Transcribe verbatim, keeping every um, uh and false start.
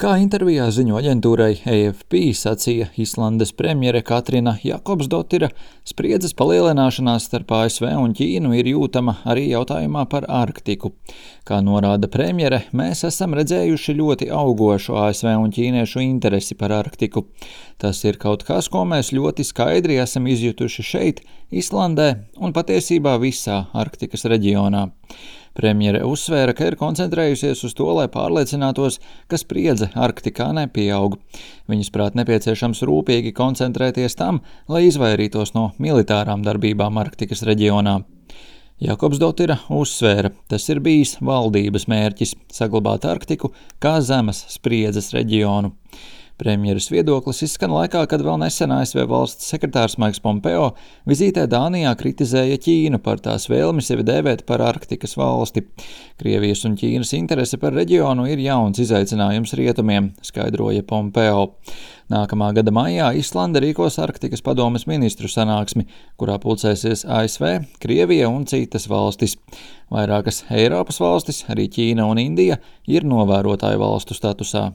Kā intervijā ziņu aģentūrai A F P sacīja Islandes premjere Katrina Jakobsdotira, spriedzes palielināšanās starp A S V un Ķīnu ir jūtama arī jautājumā par Arktiku. Kā norāda premjere, mēs esam redzējuši ļoti augošu A S V un ķīniešu interesi par Arktiku. Tas ir kaut kas, ko mēs ļoti skaidri esam izjutuši šeit, Islandē un patiesībā visā Arktikas reģionā. Premjere uzsvēra, ka ir koncentrējusies uz to, lai pārliecinātos, ka spriedze Arktikā nepieaug. Viņas prāt nepieciešams rūpīgi koncentrēties tam, lai izvairītos no militārām darbībām Arktikas reģionā. Jakobsdotira uzsvēra, tas ir bijis valdības mērķis – saglabāt Arktiku kā zemes spriedzes reģionu. Premjeras viedoklis izskan laikā, kad vēl nesen A S V valsts sekretārs Maiks Pompeo vizītē Dānijā kritizēja Ķīnu par tās vēlmi sevi dēvēt par Arktikas valsti. Krievijas un Ķīnas interese par reģionu ir jauns izaicinājums rietumiem, skaidroja Pompeo. Nākamā gada maijā Islande rīkos Arktikas padomes ministru sanāksmi, kurā pulcēsies A S V, Krievija un citas valstis. Vairākas Eiropas valstis, arī Ķīna un Indija, ir novērotāju valstu statusā.